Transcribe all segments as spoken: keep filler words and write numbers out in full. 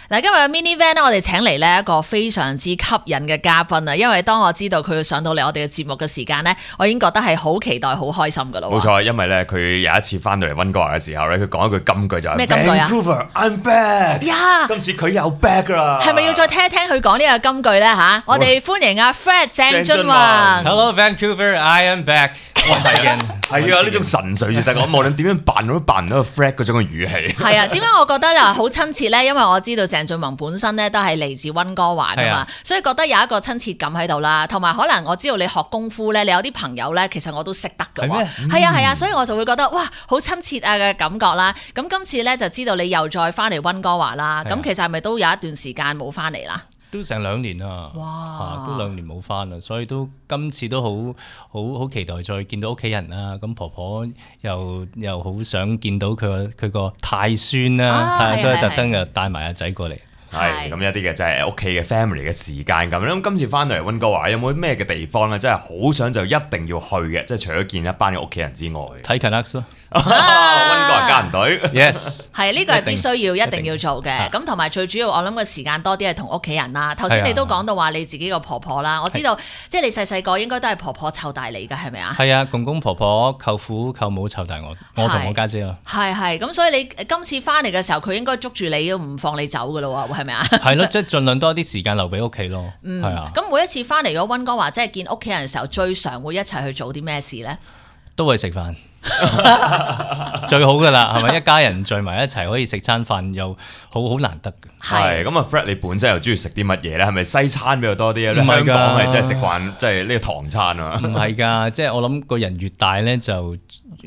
嗱，今日 Mini Van 咧，我哋請嚟呢一個非常之吸引嘅嘉賓啊！因為當我知道佢要上到嚟我哋嘅節目嘅時間咧，我已經覺得係好期待、好開心噶啦。冇錯，因為咧佢有一次翻到嚟溫哥華嘅時候咧，佢講一句金句就係咩金句啊 Vancouver I'm back。呀，今次佢又 back 啦。係咪要再聽一聽佢講呢個金句咧吓？我哋歡迎阿 Fred 鄭俊弘。Hello Vancouver, I am back。係係啊，呢種神髓先得。我無論點樣扮，我都扮唔到個 Fred 嗰種嘅語氣。係啊，點解我覺得嗱好親切咧？因為我知道鄭俊弘本身咧都係嚟自溫哥華噶嘛，所以覺得有一個親切感喺度啦。同埋可能我知道你學功夫咧，你有啲朋友咧，其實我都識得㗎喎。係啊係啊，所以我就會覺得哇，好親切啊嘅感覺啦。咁今次咧就知道你又再翻嚟溫哥華啦。咁其實係咪都有一段時間冇翻嚟啦？都成兩年啦，哇！都兩年冇翻啦，所以都今次都好好好期待再見到屋企人啦。咁婆婆又又好想見到佢個佢個太孫啦，啊、所以特登又帶埋阿仔過嚟。係咁一啲嘅就係屋企嘅 family 嘅時間咁。咁今次翻到嚟溫哥華有冇咩嘅地方咧，真係好想就一定要去嘅？即係除咗見一班嘅屋企人之外，睇 Canucks 咯。溫哥華家人隊 ，yes， 係呢個係必須要一定要做嘅。咁同埋最主要，我諗個時間多啲係同屋企人啦。頭先你都講到話你自己個婆婆啦，我知道即係你細細個應該都係婆婆湊大你㗎，係咪啊？係啊，公公婆婆、舅父舅母湊大我，我同我家姐咯。係係咁，所以你今次翻嚟嘅時候，佢應該捉住你都唔放你走㗎咯喎，係咪啊？係咯，即係盡量多啲時間留俾屋企咯。嗯，係啊。咁每一次翻嚟咗溫哥華，即係見屋企人嘅時候，最常會一齊去做啲咩事咧？都係食飯。最好噶啦，係咪一家人聚埋一齊可以食餐飯，又好好難得嘅。係咁啊 ，Fred 你本身又中意食啲乜嘢咧？係咪西餐比較多啲啊？香港係真係食慣即係呢個唐餐啊？唔係㗎，即係我諗個人越大咧，就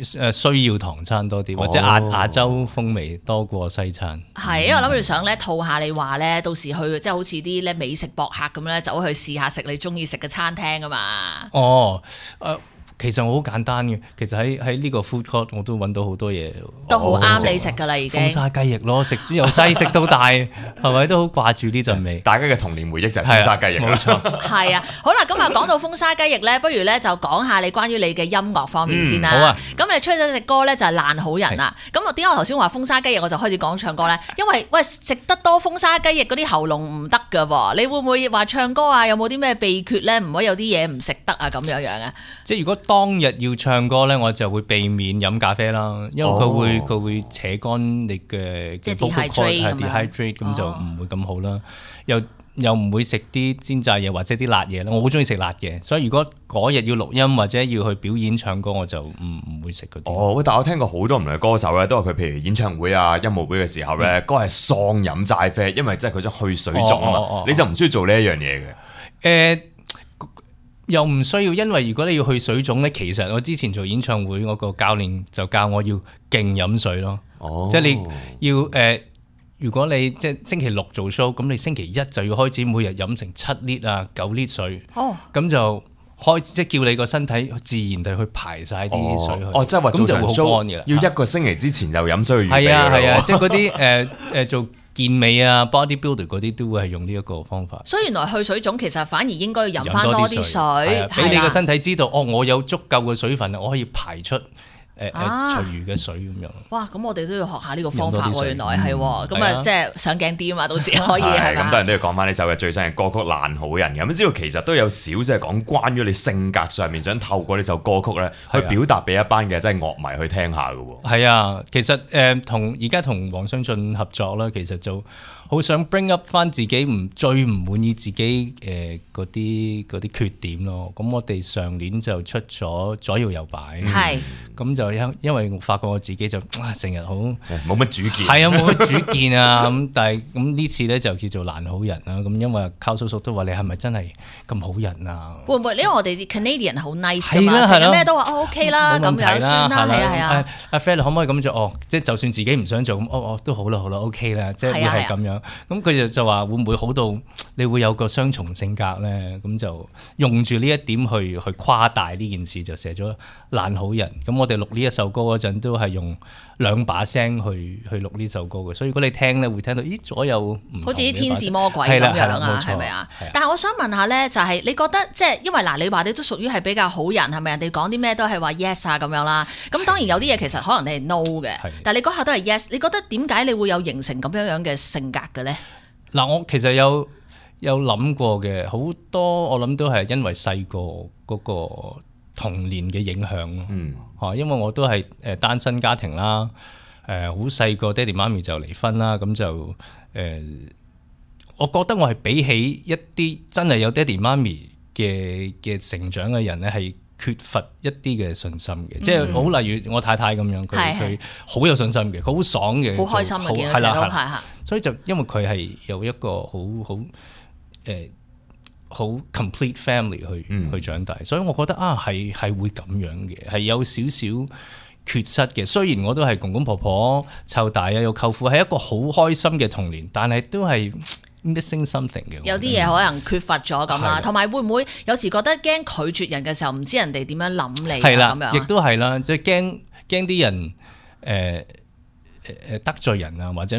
誒需要唐餐多啲，或者亞亞洲風味多過西餐。係，因為我諗住想咧套下你話咧，到時去即係好似啲咧美食博客咁咧，走去試下食你中意食嘅餐廳啊嘛。哦，誒、呃。其實我好簡單嘅，其實喺喺呢個 food court 我都揾到好多嘢，都好啱你食㗎啦，已經。風沙雞翼咯，食由細食到大，係咪都好掛住呢陣味？大家嘅童年回憶就係風沙雞翼，冇錯。係啊，好啦，咁啊講到風沙雞翼咧，不如咧就講下你關於你嘅音樂方面先啦。嗯、好啊。咁你出咗隻歌咧就係爛好人啦。咁我點解我頭先話風沙雞翼我就開始講唱歌咧？因為喂食得多風沙雞翼嗰啲喉嚨唔得㗎喎，你會唔會話唱歌啊？有冇啲咩秘訣咧？唔可以有啲嘢唔食得啊咁樣樣啊？即係如果當日要唱歌咧，我就會避免飲咖啡啦，因為佢會佢、哦、會扯乾你嘅即係 dehydrate 咁就唔會咁好啦。哦、又又唔會食啲煎炸嘢或者啲辣嘢啦。我好中意食辣嘢，所以如果嗰日要錄音或者要去表演唱歌，我就唔唔會食嗰啲。哦，但係我聽過好多唔同嘅歌手咧，都話佢譬如演唱會啊、音樂會嘅時候咧，歌係喪飲齋啡，因為即係佢想去水腫啊嘛。哦哦哦、你就唔需要做呢一樣嘢嘅。誒、呃。又唔需要，因為如果你要去水腫咧，其實我之前做演唱會，我個教練就教我要勁飲水咯。哦，即係你要誒、呃，如果你即係星期六做 show，咁你星期一就要開始每日飲成七 lit 啊、九 lit 水。哦，咁就開即係叫你個身體自然地去排晒啲水去。哦，即係話做場 show 要一個星期之前就飲水去預備。係啊係啊，即係嗰啲誒誒做健美啊 bodybuilder 嗰啲都會係用呢一個方法。所以原來去水腫其實反而應該要飲翻多啲水，俾你個身體知道，哦，我有足夠嘅水分，我可以排出。誒誒，隨餘嘅水咁樣。哇！咁我哋都要學下呢個方法喎，原來係喎。咁啊，即係上鏡啲啊嘛，到時可以係嘛。咁當然都要講翻呢首嘅最新嘅歌曲《爛好人》嘅。咁知道其實都有少即係講關於你性格上面，想透過呢首歌曲咧，去表達俾一班嘅即係樂迷去聽下嘅喎。係啊，其實誒同而家同黃湘俊合作啦，其實就好想 bring up 翻自己唔最唔滿意自己誒嗰啲嗰啲缺點咯。咁我哋上年就出咗左搖右擺，係咁就。因因為我發覺我自己就成日好冇乜主見，係啊冇乜主見啊咁，但係咁呢次咧就叫做爛好人啦。咁因為靠叔叔都話你係咪真係咁好人啊？會唔會？因為我哋啲 Canadian 好 nice 噶嘛，成日咩都話哦 OK 啦，咁樣算啦，係啊係啊。阿 Fred 可唔可以咁做？哦，即係就算自己唔想做咁，哦哦都好啦好啦 OK 啦，即係會係咁樣。咁佢就就話會唔會好到你會有個雙重性格咧？咁就用住呢一點去去誇大呢件事，就寫咗爛好人。咁我哋錄呢一首歌嗰陣都係用兩把聲去去錄呢首歌嘅，所以如果你聽咧會聽到，咦左右唔同，好似啲天使魔鬼咁樣啊，係咪啊？但係我想問下咧，就係、是、你覺得即係因為嗱，你話你都屬於係比較好人，係咪？人哋講啲咩都係話 yes 啊咁樣啦。咁當然有啲嘢其實可能你係 no 嘅，但係你嗰下都係 yes。你覺得點解你會有形成咁樣樣嘅性格嘅咧？嗱，我其實有有諗過嘅，好多我諗都係因為細個嗰個童年嘅影響咯。嗯，嚇，因為我都係誒單身家庭啦，誒好細個爹哋媽咪就離婚啦，咁就誒、呃，我覺得我係比起一啲真係有爹哋媽咪嘅嘅成長嘅人咧，係缺乏一啲嘅信心嘅，嗯、即係好例如我太太咁樣，佢佢好有信心嘅，佢好爽嘅，好開心嘅，見到成日都係嚇。所以就因為佢係有一個好好誒好 complete family 去、嗯、去長大，所以我覺得啊係係會咁樣嘅，係有少少缺失嘅。雖然我都係公公婆婆湊大啊，有舅父，係一個好開心嘅童年，但係都係 missing something 嘅，有啲嘢可能缺乏咗咁啦，同埋會唔會有時覺得驚拒絕人嘅時候，唔知人哋點樣諗你啊咁樣？亦都係啦，即係驚驚啲人誒誒得罪人啊，或者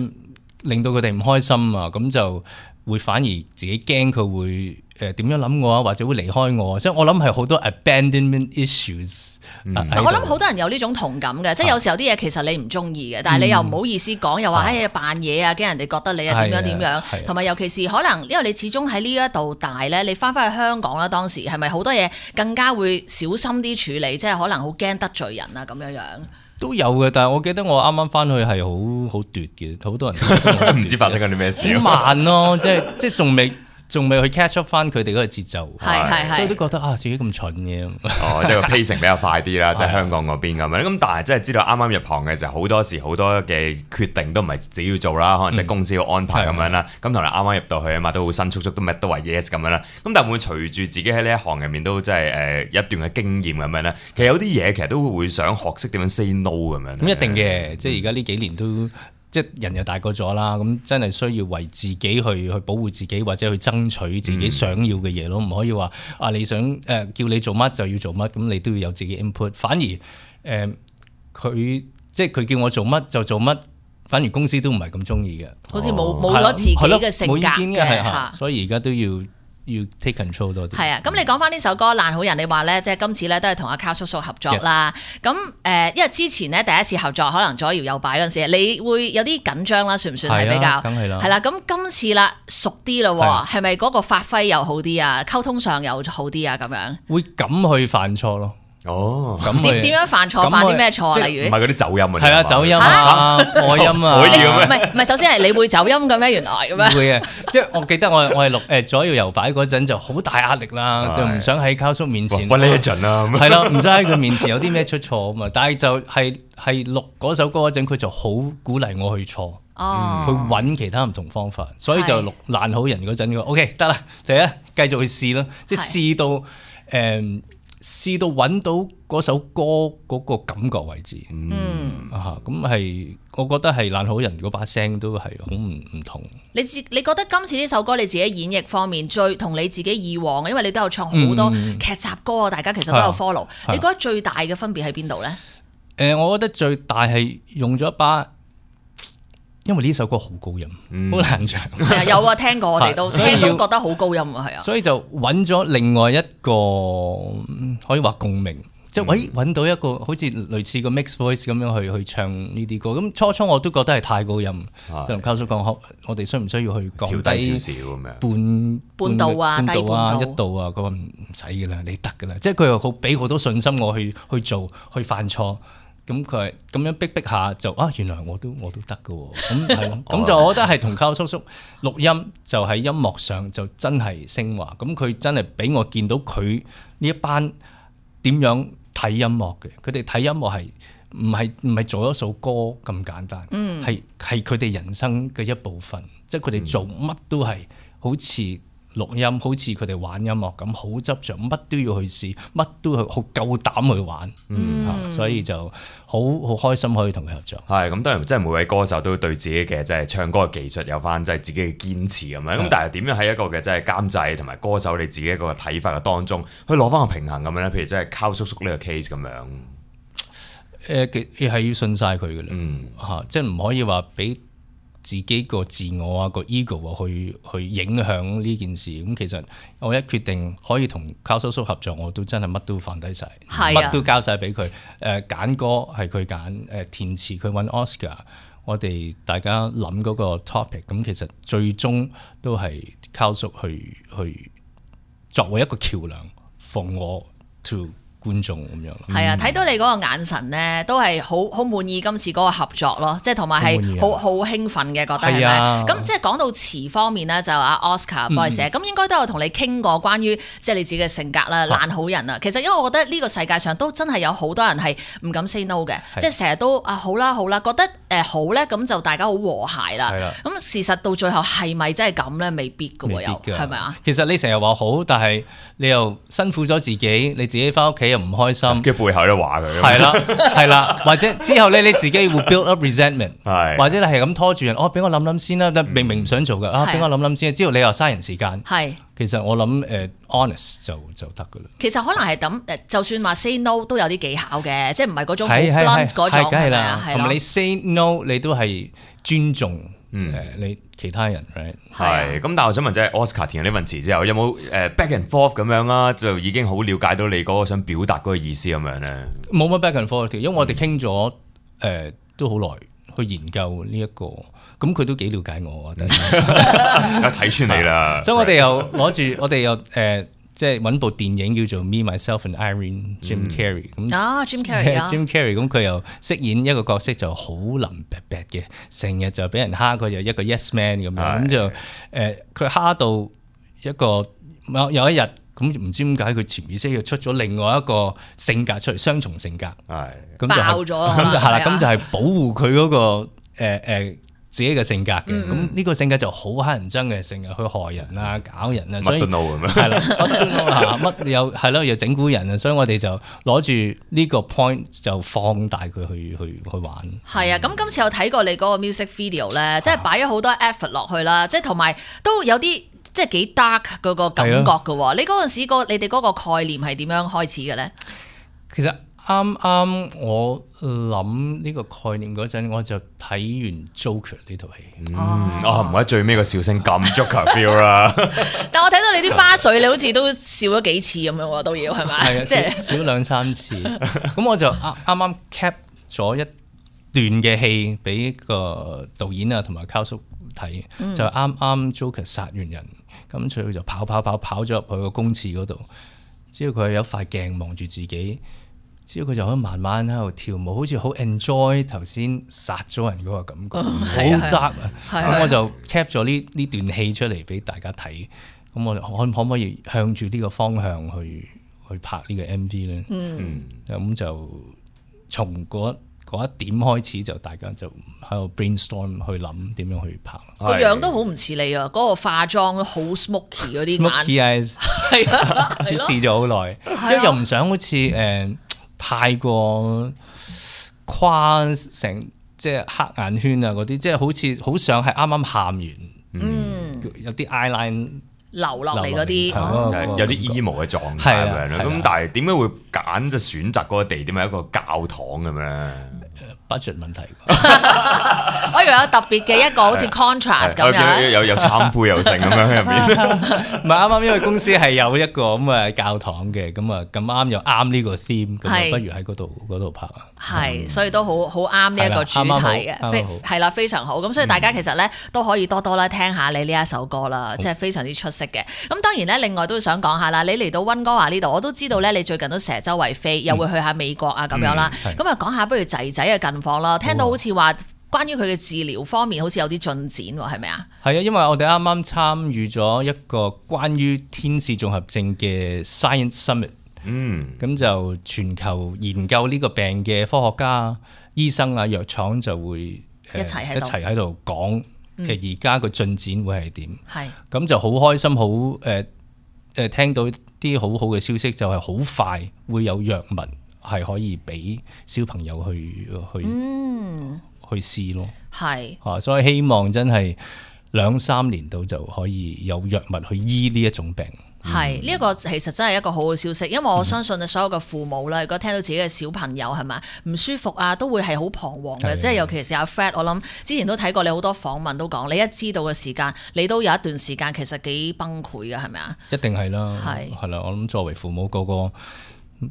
令到佢哋唔開心啊，咁就會反而自己驚佢會誒點樣諗我啊，或者會離開我啊，所以我諗係好多 abandonment issues。嗯、我諗好多人有呢種同感嘅，即係有時候啲嘢其實你唔中意嘅，但係你又唔好意思講，又話哎呀扮嘢啊，驚人哋覺得你啊點樣點樣，同埋尤其是可能因為你始終喺呢一度大咧，你翻返去香港啦，當時係咪好多嘢更加會小心啲處理，即係可能好驚得罪人啊咁樣樣。都有嘅，但係我記得我啱啱翻去係好好奪嘅，好多人唔知發生緊啲咩事。好慢咯，即係即係仲未仲未去 catch up 翻佢哋嗰個節奏，係係係，所以都覺得啊自己咁蠢嘅。哦，即係個 pacing 比較快啲啦，即係香港嗰邊咁樣。咁但係真係知道啱啱入行嘅時候，好多時好多嘅決定都唔係自己要做啦，可能即係公司要安排咁樣啦。咁同埋啱啱入到去啊嘛，都好新速速，都咩都話 yes 咁樣啦。咁但係會隨住自己喺呢一行入面都即係誒一段嘅經驗咁樣咧，其實有啲嘢其實都會想學識點樣 say no 咁樣。咁一定嘅，即係而家呢幾年都。即係人又大個咗啦，咁真係需要為自己去去保護自己，或者去爭取自己想要嘅嘢咯，唔、嗯、可以話啊你想誒、呃、叫你做乜就要做乜，咁你都要有自己 input。反而誒佢、呃、即係佢叫我做乜就做乜，反而公司都唔係咁中意嘅，好似冇冇咗自己嘅性格嘅嚇，所以而家都要。要 take control 多啲。係啊，咁你講翻呢首歌《爛好人》，你話咧，即係今次咧都係同阿 Carl 叔叔合作啦。咁誒 Yes.，因為之前咧第一次合作，可能左搖右擺嗰陣時，你會有啲緊張啦，算唔算係比較？梗係啦。係啦，咁今次啦，熟啲啦，係咪嗰個發揮又好啲啊？溝通上又好啲啊？咁樣會敢去犯錯咯。哦，咁點點樣犯錯？犯啲咩錯？例如唔係嗰啲走音啊？係啊，走音啊，破音啊，可以嘅咩？唔係唔係，首先係你會走音嘅咩？原來咁樣會啊！即係我記得我我係錄誒左搖右擺嗰陣就好大壓力啦，就唔想喺Carl叔面前溫呢一陣啦。係咯，唔想喺佢面前有啲咩出錯啊嘛。但係就係係錄嗰首歌嗰陣，佢就好鼓勵我去錯，去揾其他唔同方法，所以就錄爛好人嗰陣，佢 OK 得啦，嚟啊，繼續去試咯，即係試到誒。試到揾到嗰首歌嗰個感覺為止，嗯啊，咁係我覺得係爛好人嗰把聲都係好唔唔同。你自你覺得今次呢首歌你自己演繹方面最同你自己以往，因為你都有唱好多劇集歌啊，嗯、大家其實都有 follow。你覺得最大嘅分別喺邊度咧？誒、呃，我覺得最大係用咗一把。因為呢首歌好高音，好、嗯、難唱。係啊，有啊，聽過我哋都聽都覺得好高音啊，係啊。所以就揾咗另外一個可以話共鳴，即係喂揾到一個好似類似個 mix voice 咁樣去去唱呢啲歌。咁初初我都覺得係太高音，就同Carl叔講，我哋需唔需要去降低少少咁樣？半半度啊，半度度啊，一度啊。佢話唔使噶啦，你得噶啦。即係佢又好俾好多信心我去去做，去犯錯。咁佢係咁樣逼逼下就啊，原來我都我都得㗎喎，咁係咯，咁就我覺得係同Carl叔叔錄音就喺音樂上就真係升華，咁佢真係俾我見到佢呢一班點樣睇音樂嘅，佢哋睇音樂係唔係唔係做一首歌咁簡單，係係佢哋人生嘅一部分，即係佢哋做乜都係好似。錄音好似佢哋玩音樂咁，好執着，乜都要去試，乜都好夠膽去玩，嗯嗯、所以就好好開心可以同佢合作。係咁，當然即係每位歌手都對自己嘅即係唱歌嘅技術有翻即係自己嘅堅持咁樣。咁、嗯、但係點樣喺一個嘅即係監製同埋歌手你自己一個睇法嘅當中，去攞翻個平衡咁樣咧？譬如即係Carl叔叔呢個 case 咁樣。誒，係要信晒佢嘅啦，嚇、嗯啊，即係唔可以話俾自己個自我啊個 ego 啊去去影響呢件事。咁其實我一決定可以同Carl叔叔合作，我都真係乜都放低晒，乜、啊、都交晒俾佢。誒、呃、揀歌係佢揀，誒填詞佢揾 Oscar，我哋大家諗嗰個 topic， 咁其實最終都係靠叔去去作為一個橋梁 from 我 to 觀眾咁樣咯。係啊，睇到你嗰個眼神咧，都係好好滿意今次嗰個合作咯，即係同埋係好好興奮嘅，覺得係咪？咁即係講到詞方面咧，就阿 Oscar 幫你寫，咁、嗯、應該都有同你傾過關於即係你自己嘅性格啦，爛好人啊。其實因為我覺得呢個世界上都真係有好多人係唔敢 say no 嘅，即係成日都啊好啦好啦，覺得誒好咧，咁就大家好和諧啦。咁事實到最後係咪真係咁咧？未必㗎喎，又係咪啊？其實你成日話好，但係你又辛苦咗自己，你自己翻屋企又唔開心，嘅背後都話佢。係啦係啦，或者之後咧你自己會 build up resentment，或者你係咁拖住人，哦俾我諗諗先啦，明明唔想做嘅，啊俾我諗諗先，之後你又嘥人時間。係，其實我諗誒 honest 就就得㗎啦。其實可能係咁誒，就算話 say no 都有啲技巧嘅，即係唔係嗰種好 blunt 嗰種係咪啊？同埋你 say no 你都係尊重誒你其他人 right？ 係咁，但係我想問，即係 Oscar 填呢份詞之後，有冇誒 back and forth 咁樣啊？就已經好了解到你嗰個想表達嗰個意思咁樣咧？冇乜 back and forth， 因為我哋傾咗誒都好耐去研究呢、這、一個，咁佢都幾了解我，但係睇穿你啦。所以我哋又攞住，我哋又誒。呃即係揾部電影叫做 Me Myself and Irene，Jim Carrey 咁啊 Jim Carrey，Jim Carrey 咁佢又飾演一個角色就好腍白白嘅，成日就俾人蝦佢，又一個 yes man 咁樣，咁就誒佢蝦到一個有有一日咁唔知點解佢潛意識又出咗另外一個性格出嚟，雙重性格，係咁就爆咗，咁就係啦，咁就係保護佢嗰個誒誒自己嘅性格嘅，咁呢、嗯、個性格就好乞人憎嘅，成日去害人啊、搞人啊，所以乜都 no 咁樣，係啦，乜都 no 嚇，乜又係咯，又整蠱人啊，所以我哋就攞住呢個 point 就放大佢去去去玩。係啊，咁今次有睇過你嗰個 music video 咧，即係擺咗好多 effort 落去啦，即係同埋都有啲即係幾 dark 嗰個感覺嘅喎。你嗰陣時個你哋嗰個概念係點樣開始嘅咧？其實啱啱我諗呢個概念嗰陣，我就睇完 Joker 呢套戲。嗯，啊唔係最尾個笑聲咁 Joker feel 啦。但我睇到你啲花絮，你好似都笑咗幾次咁樣喎，都要係咪？係啊，即係少兩三次。咁我就啱啱啱 cap 咗一段嘅戲俾個導演啊同埋卡叔睇，嗯、就啱啱 Joker 殺完人，咁佢就跑跑跑跑咗入去個公廁嗰度，之後佢有塊鏡望住自己。之後佢就可以慢慢喺度跳舞，好似好 enjoy 頭先殺咗人嗰個感覺，好 dark 啊！咁我就 cap 咗呢呢段戲出嚟俾大家睇。咁我可可唔可以向住呢個方向去去拍呢個 M V 咧？嗯，咁就從嗰嗰一點開始，就大家就喺度 brainstorm 去諗點樣去拍。個樣都好唔似你啊！嗰、嗰個化妝好 smoky 嗰啲眼 ，smoky eyes 係啊，都試咗好耐，因為又唔想好似誒。呃太過誇成即係黑眼圈啊嗰啲，即係好似好想係啱啱喊完，嗯，有啲 eyeline 流落嚟嗰啲，就係有啲 emo 嘅狀態咁樣咯。咁但係點解會揀就選擇嗰個地點係一個教堂咁樣？budget 問題，我以為有特別嘅一個好似 contrast 咁樣，有有懺悔又成咁樣喺入面。唔係啱啱，因為公司係有一個咁嘅教堂嘅，咁啊咁啱又啱呢個 theme，咁啊不如喺嗰度嗰度拍啊。係，所以都好好啱呢一個主題嘅，非係啦非常好。咁所以大家其實咧都可以多多啦聽下你呢一首歌啦，即係非常之出色嘅。咁當然咧，另外都想講下啦，你嚟到溫哥華呢度，我都知道咧，你最近都成日周圍飛，又會去下美國啊咁樣啦。咁啊講下不如仔仔嘅近況啦，聽到好似話關於佢嘅治療方面好似有啲進展喎，係咪啊？係啊，因為我哋啱啱參與咗一個關於天使綜合症嘅 Science Summit， 嗯，咁就全球研究呢個病嘅科學家、醫生啊、藥廠就會一齊喺度一齊喺度講嘅而家個進展會係點？係咁、嗯、就好開心，好誒誒聽到啲好好嘅消息，就係好快會有藥物係可以俾小朋友去去。嗯去試咯，係啊，所以希望真係兩三年度就可以有藥物去醫呢一種病。係呢一個其實真係一個好好消息，因為我相信所有嘅父母咧，如果聽到自己嘅小朋友係咪唔舒服啊，都會係好彷徨嘅。即係尤其是阿 Fred，我諗之前都睇過你好多訪問都講，你一知道嘅時間，你都有一段時間其實幾崩潰嘅，係咪啊？一定係啦，係係啦，我諗作為父母個個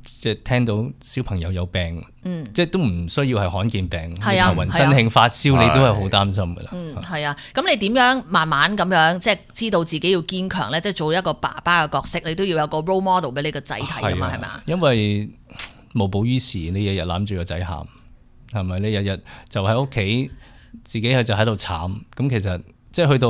即係聽到小朋友有病，嗯、即係都唔需要係罕見病，頭暈、啊、身興、發燒，你都係好擔心噶啦。嗯，係啊。咁你點樣慢慢咁樣即係知道自己要堅強咧？即係做一個爸爸嘅角色，你都要有個 role model 俾你個仔睇噶嘛？係咪啊？因為無補於事，你日日攬住個仔喊，係咪？你日日就喺屋企，自己係就喺度慘。咁其實即係去到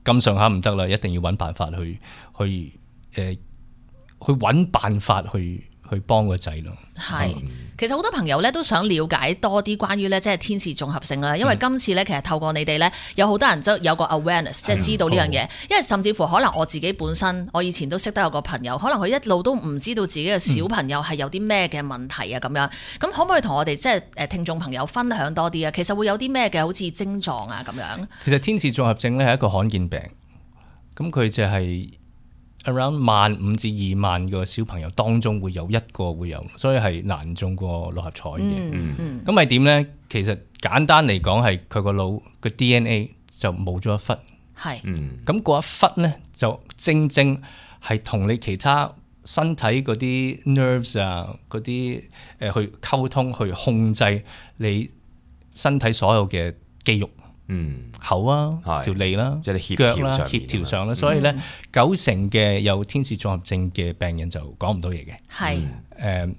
咁上下唔得啦，一定要揾辦法去去誒、呃、去揾辦法去。去幫個仔咯，係，其實好多朋友咧都想了解多啲關於咧即係天使綜合症啦，因為今次咧其實透過你哋咧有好多人都有個 awareness，即係知道呢樣嘢，因為甚至乎可能我自己本身，我以前都識得有個朋友，可能佢一路都唔知道自己嘅小朋友係有啲咩嘅問題啊咁樣，咁可唔可以同我哋即係誒聽眾朋友分享多啲啊？其實會有啲咩嘅好似症狀啊咁樣？其實天使綜合症咧係一個罕見病，咁佢就係、是。around 萬五至二萬個小朋友當中會有一個會有，所以係難中過六合彩嘅。咁係點咧？其實簡單嚟講係佢個腦個 D N A 就冇咗一忽。係。咁嗰一忽咧就正正係同你其他身體嗰啲 nerves 啊嗰啲誒去溝通去控制你身體所有嘅肌肉。嗯，口啊，條脷啦，即係腳啦，協調上啦，所以咧、嗯、九成嘅有天使綜合症嘅病人就講唔到嘢嘅。係誒、嗯、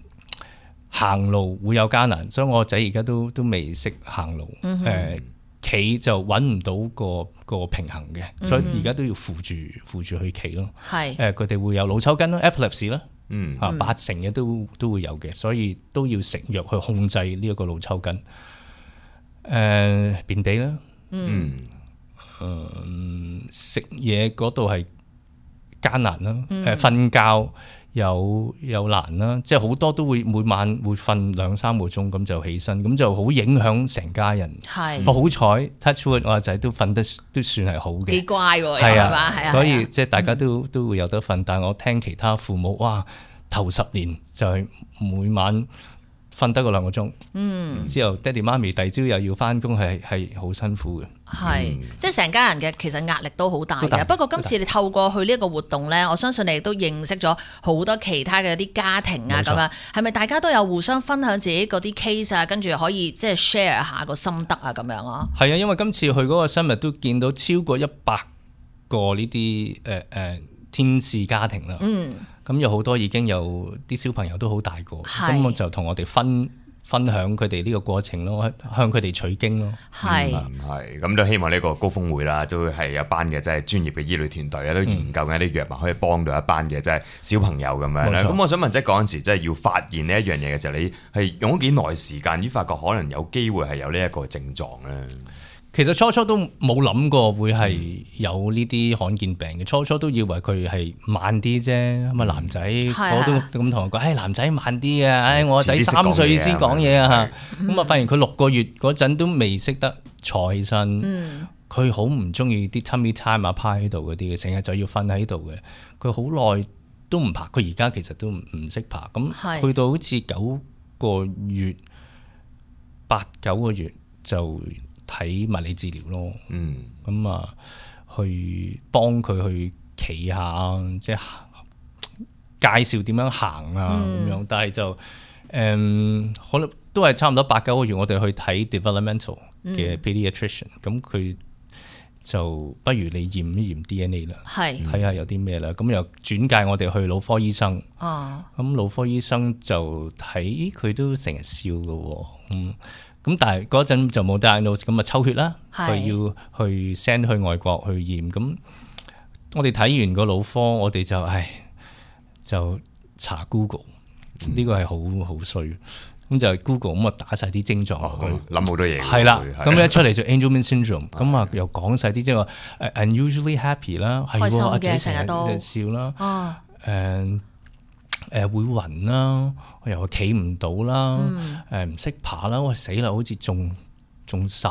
行路會有艱難，所以我仔而家都都未識行路。誒、嗯，企、呃、就揾唔到個個平衡嘅，嗯、所以而家都要扶住扶住去企咯。係誒，佢、呃、哋會有腦抽筋啦 epilepsy 啦，嗯啊八成嘅都都會有嘅，所以都要食藥去控制呢一個腦抽筋。誒、呃，便秘啦。嗯，誒食嘢嗰度係艱難啦，誒、嗯、瞓覺有有難啦，即係好多都會每晚會瞓兩三個鐘咁就起身，咁就好影響成家人。係，我好彩 touch wood 我阿仔都瞓得都算係好嘅，幾乖喎，係啊，係啊，所以即係大家都、嗯、都會有得瞓，但係我聽其他父母哇頭十年就係每晚瞓得個兩個鐘，嗯，之後爹哋媽咪第二朝又要翻工，係係好辛苦嘅。係，嗯、即係成家人嘅其實壓力都好大嘅。大不過今次你透過去呢一個活動咧，我相信你亦都認識咗好多其他嘅啲家庭啊，咁樣係咪大家都有互相分享自己嗰啲 case 啊，跟住可以即係 share 下個心得啊，咁樣啊？係啊，因為今次去嗰個 summit都見到超過一百個呢啲誒誒天使家庭啦。嗯。咁有好多已經有啲小朋友都好大個，咁我就同我哋分分享佢哋呢個過程咯，向佢哋取經咯。係係咁都希望呢個高峰會啦，都係有一班嘅即係專業嘅醫療團隊咧，都研究緊一啲藥物可以幫到一班嘅即係小朋友咁樣咧。咁我想問，即係嗰陣時即係要發現呢一樣嘢嘅時候，你係用咗幾耐時間，而發覺可能有機會係有呢一個症狀咧？其實初初都冇諗過會係有呢啲罕見病嘅，初初都以為佢係慢啲啫。咁啊男仔，我都咁同我講，誒男仔慢啲啊，誒我仔三歲先講嘢啊。咁啊發現佢六個月嗰陣都未識得坐起身，佢好唔中意啲 tummy time 啊趴喺度嗰啲嘅，成日就要瞓喺度嘅。佢好耐都唔爬，佢而家其實都唔唔識爬。咁去到好似九個月、八九個月就睇物理治療咯，嗯，咁啊，去幫佢去企下，即係介紹點樣行啊，咁、嗯、樣。但係就誒、嗯，可能都係差唔多八九個月，我哋去睇 developmental 嘅 pediatrician，咁佢、嗯、就不如你驗一驗 D N A 啦，係睇下有啲咩啦。咁又轉介我哋去腦科醫生，哦，咁腦科醫生就睇佢都成日笑㗎，嗯。咁但係嗰陣就冇 diagnose，咁啊抽血啦，佢要去 send 去外國去驗。咁我哋睇完個腦科，我哋就唉就查 Google，呢、嗯、個係好好衰。咁就 Google 咁啊打晒啲症狀落去，諗好多嘢。係啦，咁一出嚟就 Angelman syndrome，咁啊又講晒啲即係話 unusually happy 啦，係喎，阿仔成日都笑啦，誒、哦。Uh, 誒、呃、會暈啦，又企唔到啦，誒唔識爬啦，我死啦，好似中中晒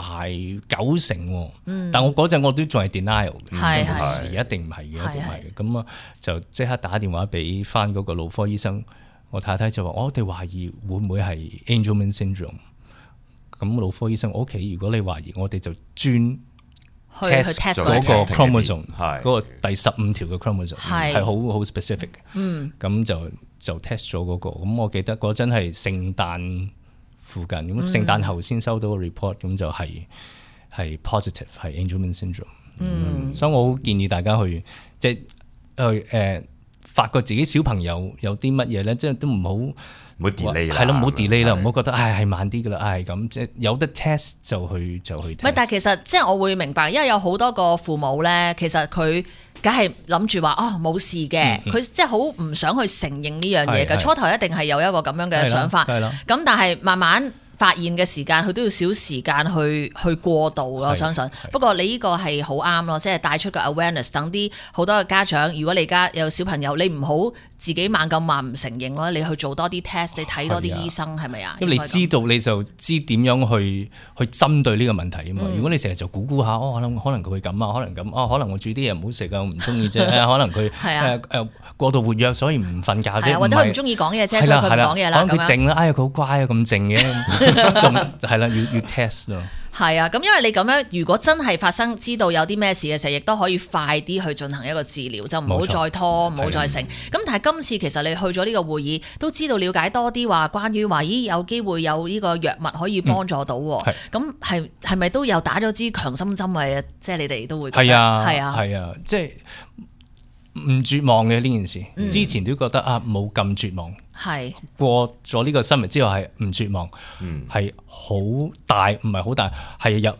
九成喎。嗯、但我嗰陣我都仲係 denial 嘅，係係一定唔係嘅，一定唔係嘅。咁啊就即刻打電話俾翻嗰個腦科醫生，我太太就話：我哋懷疑會唔會係 Angelman syndrome。咁腦科醫生，我屋企如果你懷疑，我哋就專去 test 嗰個 chromosome， 嗰個第十五條嘅 chromosome 係好好 specific 嘅。嗯，咁就就 test 咗嗰個。咁我記得嗰陣係聖誕附近，咁聖誕後先收到個 report，咁就係係 positive 係 Angelman syndrome。嗯，所以我好建議大家去即係去誒發覺自己小朋友有啲乜嘢咧，即係都唔好唔好 delay 啦，係咯，唔好 delay 啦，唔好覺得唉係慢啲噶啦，唉咁即係有得 test 就去就去 test。唔係，但係其實即係我會明白，因為有好多個父母咧，其實佢梗係諗住話哦冇事嘅，佢即係好唔想去承認呢樣嘢嘅。初頭一定係有一個咁樣嘅想法，咁但係慢慢發現嘅時間，佢都要少時間去去過渡咯。我相信。不過你呢個係好啱咯，即係帶出個 awareness，等啲好多嘅家長，如果你而家有小朋友，你唔好自己猛咁話唔承認咯，你去做多啲 test， 你睇多啲醫生係咪啊？因為你知道你就知點樣去去針對呢個問題啊嘛。嗯、如果你成日就估估下，哦可能可能佢會咁啊，可能咁啊，可能我煮啲嘢唔好食啊，我唔中意啫。可能佢誒誒過度活躍，所以唔瞓覺啫。或者佢唔中意講嘢啫，所以佢唔講嘢啦。可能佢靜啦，哎呀佢好乖啊，咁靜嘅。就係啦，要要 test 咯。係啊，咁因為你咁樣，如果真係發生，知道有啲咩事嘅時候，亦都可以快啲去進行一個治療，就唔好再拖，唔好再成。咁但係今次其實你去咗呢個會議，都知道了解多啲話，關於話咦有機會有呢個藥物可以幫助到。咁係係咪都有打咗支強心針啊？即係你哋都會覺得係啊，係啊，係啊，即係唔絕望嘅呢件事。嗯、之前都覺得啊冇咁絕望。係過咗呢個新聞之後係唔絕望，係好、嗯、大唔係好大，係有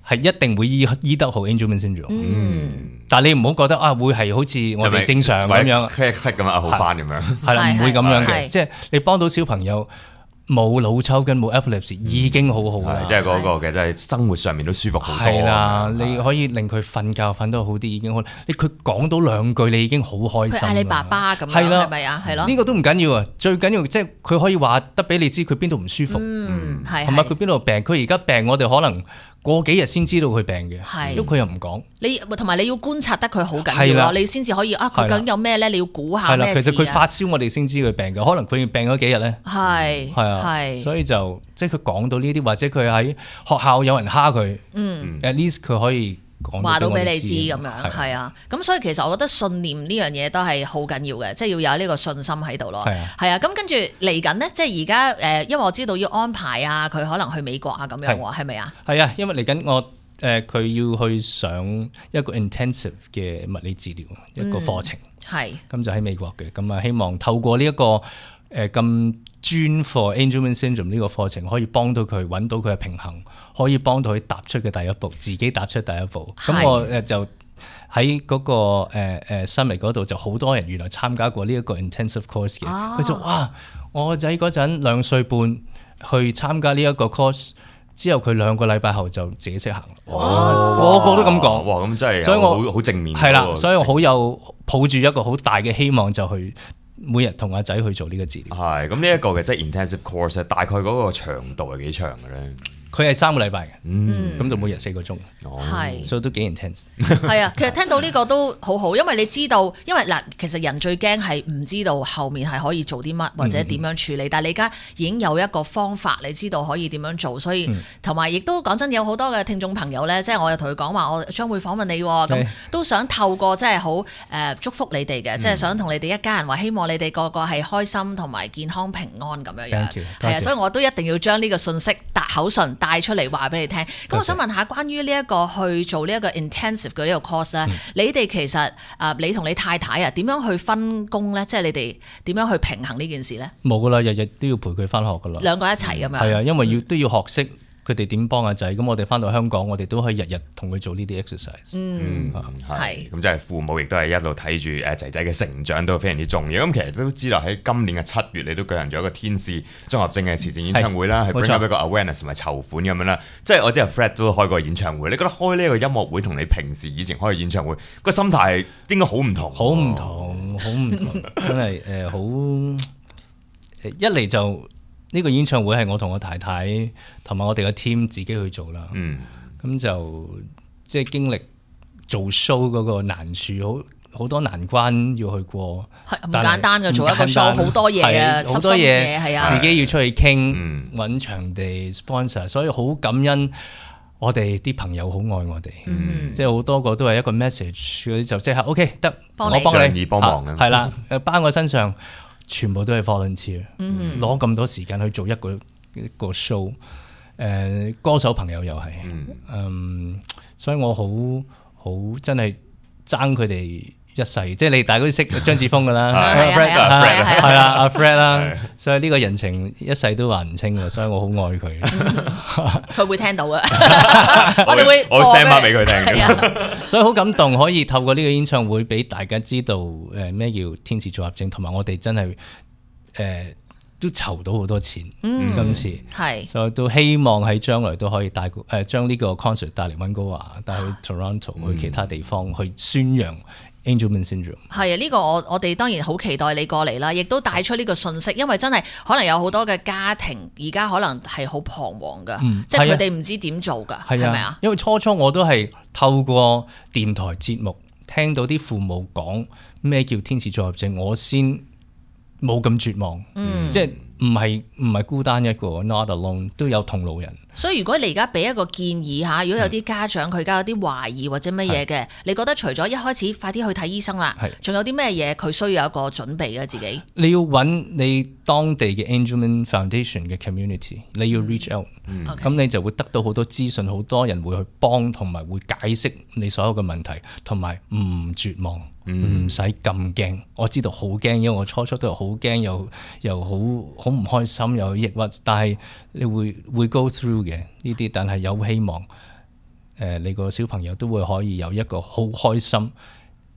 係一定會醫醫得好 Angelman syndrome。嗯，但係你唔好覺得啊會係好似我哋正常咁樣 click click 咁啊好翻咁樣，係啦，唔會咁樣嘅，即係你幫到小朋友。冇腦抽筋冇 epilepsy 已經好好啦，即係嗰個嘅，即係生活上面都舒服好多。係啦，你可以令佢瞓覺瞓得好啲已經好。你佢講到兩句你已經好開心。佢嗌你爸爸咁樣，係咪啊？係咯。呢個都唔緊要啊，最緊要即係佢可以話得俾你知佢邊度唔舒服，嗯，係同埋佢邊度病。佢而家病，我哋可能過幾日先知道佢病嘅，係，因為佢又唔講。你同埋你要觀察得佢好緊要咯，你先至可以啊。佢究竟有咩咧？你要估下咩事啊？其實佢發燒，我哋先知佢病嘅，可能佢病咗幾日咧。係係啊，係，所以就。即係佢講到呢啲，或者佢喺學校有人蝦佢，嗯，at least 佢可以講話到俾你知咁樣，係啊。咁所以其實我覺得信念呢樣嘢都係好緊要嘅，即係要有呢個信心喺度咯。係啊，咁跟住嚟緊呢，即係而家誒，因為我知道要安排啊，佢可能去美國啊咁樣喎，係咪啊？係啊，因為嚟緊我誒佢要去上一個 intensive 嘅物理治療一個課程，係咁就喺美國嘅，咁啊希望透過呢一個誒咁。專 for Angelman syndrome 呢個課程可以幫到佢揾到佢嘅平衡，可以幫到佢踏出嘅第一步，自己踏出第一步。咁是我誒就喺嗰、那個誒誒 summit 嗰度就好多人原來參加過呢一個 intensive course 嘅，佢、啊、就哇，我個仔嗰陣兩歲半去參加呢一個 course 之後，佢兩個禮拜後就自己識行。哦，個個都咁講，哇！咁真係，所以我好好正面。係啦，所以我好有抱住一個好大嘅希望就去。每日同阿仔去做呢個治療，係咁呢一個嘅即係 intensive course，大概嗰個長度係幾長嘅咧？佢係三個禮拜嘅，嗯，咁就每日四個鐘，係，所以都幾 intense。係啊，其實聽到呢個都好好，因為你知道，因為嗱，其實人最驚係唔知道後面係可以做啲乜或者點樣處理，但係你而家已經有一個方法，你知道可以點樣做，所以同埋亦都講真，有好多嘅聽眾朋友咧，即係我又同佢講話，我將會訪問你，咁都想透過即係好誒祝福你哋嘅，即係想同你哋一家人話，希望你哋個個係開心同埋健康平安咁樣樣，係啊，所以我都一定要將呢個信息搭口唇。帶出嚟話俾你聽，咁我想問下關於呢一個去做呢一個 intensive 嘅呢個 course 咧、嗯，你哋其實啊，你同你太太啊，點樣去分工咧？即係你哋點樣去平衡呢件事咧？冇噶啦，日日都要陪佢翻學噶啦，兩個一齊咁樣。係啊，因為要都要學識。佢哋點幫阿仔？咁我哋翻到香港，我哋都可以日日同佢做呢啲 exercise。嗯，係。咁即係父母亦都係一路睇住誒仔仔嘅成長都非常之重要。咁其實都知道喺今年嘅七月，你都舉行咗一個天使綜合症嘅慈善演唱會啦，係 bring up 一個 awareness 同埋籌款咁樣啦。即係我知阿 Fred 都開過演唱會，你覺得開呢一個音樂會同你平時以前開嘅演唱會個心態應該好唔同？好唔同，好唔同，真係誒好一嚟就。呢個演唱會係我同我太太同埋我哋嘅 team 自己去做啦，咁、嗯、就即係經歷做 show 嗰個難處，好好多難關要去過，係唔簡單嘅，做一個 show 好多嘢啊，好多嘢係啊，自己要出去傾揾、嗯、場地 sponsor，所以好感恩我哋啲朋友好愛我哋，嗯、即係好多個都係一個 message 嗰啲就即刻 OK 得，我幫你，仗義幫忙嘅，係啦，班我身上全部都係 volunteer，攞咁多時間去做一個一個 show，誒、呃、歌手朋友又係，嗯，嗯，所以我好好真係爭佢哋。一世，即係你大家都識張子楓噶啦，係啦，阿 Fred 啦，所以呢個人情一世都還唔清嘅，所以我好愛佢。佢會聽到嘅，我哋會我 send 翻俾佢聽嘅，所以好感動，可以透過呢個演唱會俾大家知道誒咩叫天使組合症，同埋我哋真係誒都籌到好多錢，今次係，所以都希望喺將來都可以帶誒將呢個 concert 帶嚟溫哥華，帶去 Toronto，去其他地方去宣揚。Angelman syndrome 係啊，呢個我我哋當然好期待你過嚟啦，亦都帶出呢個信息，因為真係可能有好多嘅家庭而家可能係好彷徨噶，嗯、即係佢哋唔知點做噶，係咪啊？因為初初我都係透過電台節目聽到啲父母講咩叫天使組合症，我先冇咁絕望，嗯、即係唔係唔係孤單一個 ，not alone 都有同路人。所以如果你而家俾一個建議嚇，如果有啲家長佢而家有啲懷疑或者乜嘢嘅，你覺得除咗一開始快啲去睇醫生啦，仲有啲咩嘢佢需要有一個準備嘅自己？你要揾你當地嘅 Angelman Foundation 嘅 community， 你要 reach out，咁、嗯 okay. 你就會得到好多資訊，好多人會去幫同埋會解釋你所有嘅問題，同埋唔絕望，唔使咁驚。我知道好驚，因為我初初都係好驚，又又好好唔開心，又抑鬱，但係你會會 go through。嘅呢啲，但係有希望，誒、呃，你個小朋友都會可以有一個好開心、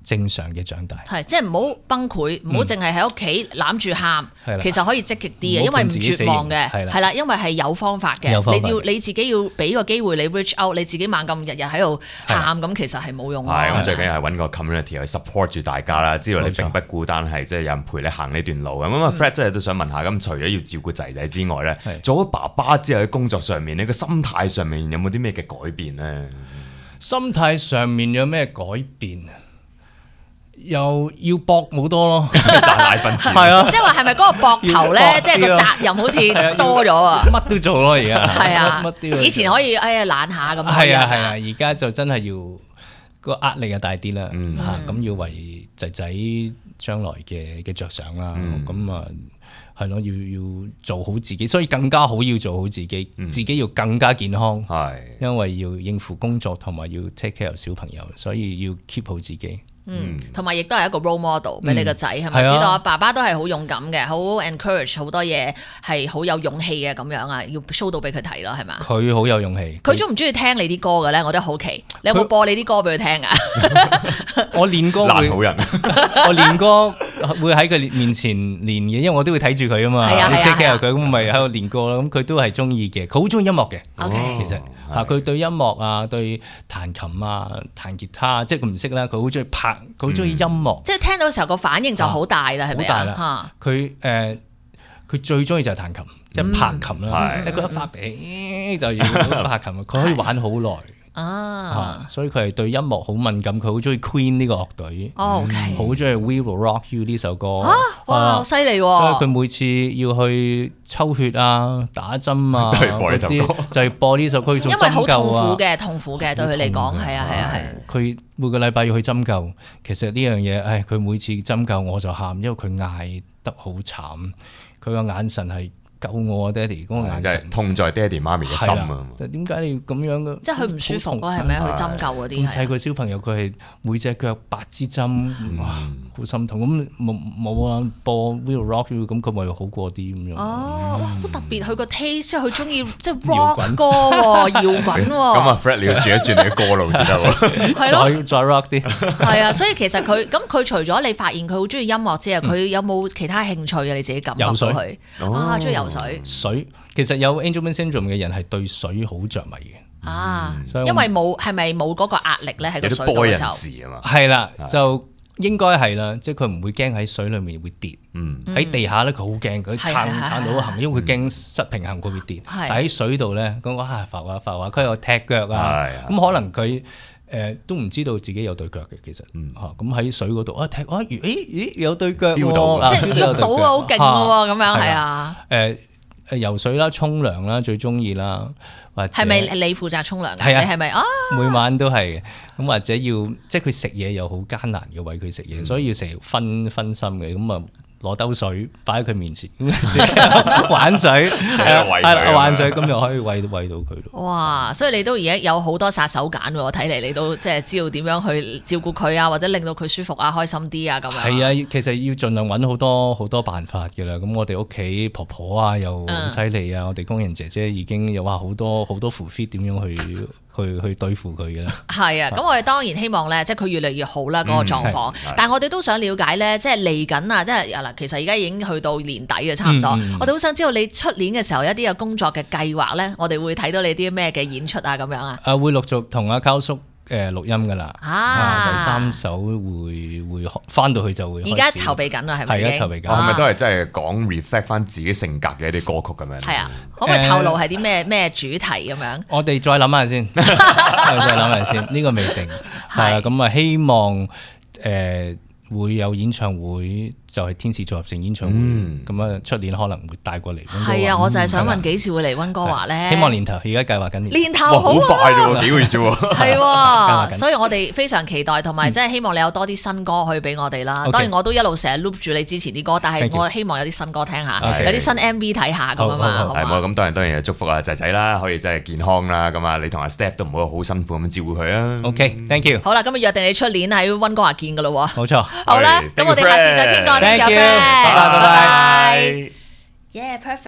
正常嘅長大。係，即係唔好崩潰，唔好淨係喺屋企攬住喊，嗯、其實可以積極啲嘅，因為唔絕望嘅，係啦，因為係有方法嘅，你要你自己要俾個機會你 reach out，你自己猛咁日日喺度喊，咁其實係冇用。係，咁最緊要係揾個 community 去 support 住大家啦，知道你並不孤單，係即係有人陪你行呢段路咁。咁啊 Fred 真係都想問下，咁除咗要照顧仔仔之外咧，做咗爸爸之後喺工作上面，你個心態上面有冇啲咩嘅改變咧？心態上面有咩改變？又要搏好多咯，賺奶粉錢係啊，即係話係咪嗰個膊頭咧，即係個責任好似多咗啊？乜都做咯，而家係啊，乜都以前可以哎呀懶下咁，係啊係啊，而家就真係要個壓力又大啲啦，嚇咁要為仔仔將來嘅嘅着想啦，咁啊係咯，要要做好自己，所以更加好要做好自己，自己要更加健康，係因為要應付工作同埋要 take care 小朋友，所以要 keep 好自己。嗯，同埋亦都係一個 role model 俾你個仔，係咪知道啊？爸爸都係好勇敢嘅，好 encourage 好多嘢，係好有勇氣嘅咁樣啊，要 show 到俾佢睇咯，係嘛？佢好有勇氣。佢中唔中意聽你啲歌嘅咧？我都好奇，你有冇播你啲歌俾佢聽啊？我練歌爛好人，我練歌會喺佢面前練嘅，因為我都會睇住佢啊嘛，你 take care 佢，咁咪喺度練歌咯。咁佢都係中意嘅，佢好中意音樂嘅。OK，其實嚇佢對音樂啊，對彈琴啊、彈吉他，即係佢唔識啦，佢好中意拍。佢好中意音樂，嗯、即係聽到嘅時候個反應就好大啦，係咪啊？佢誒佢最中意就係彈琴，即係拍琴啦。你覺得發脾就要拍琴，佢可以玩好耐啊！所以佢係對音樂好敏感，佢好中意 Queen 呢個樂隊，哦 okay 好中意 We Will Rock You 呢首歌。啊、哇，好犀利！所以佢每次要去抽血啊、打針啊嗰啲，就係播呢首歌做針灸啊。因為好痛苦嘅，痛苦嘅對佢嚟講，係啊係啊係。佢每個禮拜要去針灸，其實呢樣嘢，唉，佢每次針灸我就喊，因為佢嗌得好慘，佢個眼神係。救我啊，爹哋嗰個眼神痛在爹哋媽咪嘅心啊！點解你要咁樣嘅？即係佢唔舒服咯，係咪啊？去針灸嗰啲。咁細個小朋友佢係每隻腳八支針，哇，好心痛。咁冇冇啊？播 Will Rock You，咁佢咪好過啲咁樣。哦，哇，好特別！佢個 taste，佢中意即係 rock 歌喎，搖滾喎。咁啊 Fred，你要轉一轉你嘅歌路先得喎。係咯，再再 rock 啲。係啊，所以其實佢咁佢除咗你發現佢好中意音樂之外，佢有冇其他興趣啊？你自己感覺到佢啊，中意游水。水水其實有 Angelman syndrome 嘅人係對水好着迷嘅啊，因為冇係咪冇嗰個壓力咧喺個水度嘅時候，係啦，就應該係啦，即係佢唔會驚喺水裡面會跌，喺、嗯、地下咧佢好驚，佢撐撐到行，因為佢驚失平衡佢會跌，嗯、但喺水度咧咁哇浮下浮下，佢有踢腳啊，咁可能佢。誒、呃、都唔知道自己有對腳嘅，其實嚇咁喺水嗰度啊踢啊，咦咦有對腳喎，即係喐到啊，好勁嘅喎，咁樣係啊。誒誒游水啦、沖涼啦，最中意啦，或者係咪你負責沖涼㗎？係啊，你係咪啊？每晚都係咁，或者要即係佢食嘢又好艱難嘅餵佢食嘢，嗯、所以要成日分分心嘅咁啊。攞兜水擺喺佢面前，玩水，係啦，玩水咁就可以餵餵到佢咯。哇！所以你都而家有好多殺手鐧喎，睇嚟你都即係知道點樣去照顧佢啊，或者令到佢舒服啊、開心啲啊咁樣。係啊，其實要盡量揾好多好多辦法嘅啦。咁我哋屋企婆婆啊又好犀利啊，嗯、我哋工人姐姐已經有話好多好多符 fit 點樣去去去對付佢嘅啦。係啊，咁我哋當然希望咧，即係佢越嚟越好啦嗰、嗰個狀況。嗯、但係我哋都想了解咧，即係嚟緊啊，即係嗱，其實而家已經去到年底嘅差唔多。嗯、我哋好想知道你出年嘅時候一啲嘅工作嘅計劃咧，我哋會睇到你啲咩嘅演出啊咁樣啊？啊，會陸續同阿溝叔誒錄音噶啦。啊，第三首會會翻到去就會。而家籌備緊啦，係咪？係而家籌備緊。係咪都係真係講 reflect 翻自己性格嘅一啲歌曲咁樣？係啊，可唔可以透露係啲咩咩主題咁樣？我哋再諗下先，再諗下先，呢個未定。係啊，咁啊希望誒。會有演唱會，就係天使組合成演唱會，咁啊出年可能會帶過嚟。係啊，我就係想問幾時會嚟溫哥華咧？希望年頭，而家計劃緊年。年頭好快啫，幾個月啫。係，所以我哋非常期待，同埋即係希望你有多啲新歌可以俾我哋啦。當然我都一路成日 loop 住你之前啲歌，但係我希望有啲新歌聽下，有啲新 M V 睇下咁啊嘛。係冇咁當然當然祝福阿仔仔啦，可以真係健康啦。咁啊，你同阿 Step 都唔好好辛苦咁照顧佢啊。OK，thank you。好啦，咁啊約定你出年喺溫哥華見噶咯。冇錯。好啦，咁我哋下次再傾過呢個 friend，拜拜。Yeah，perfect。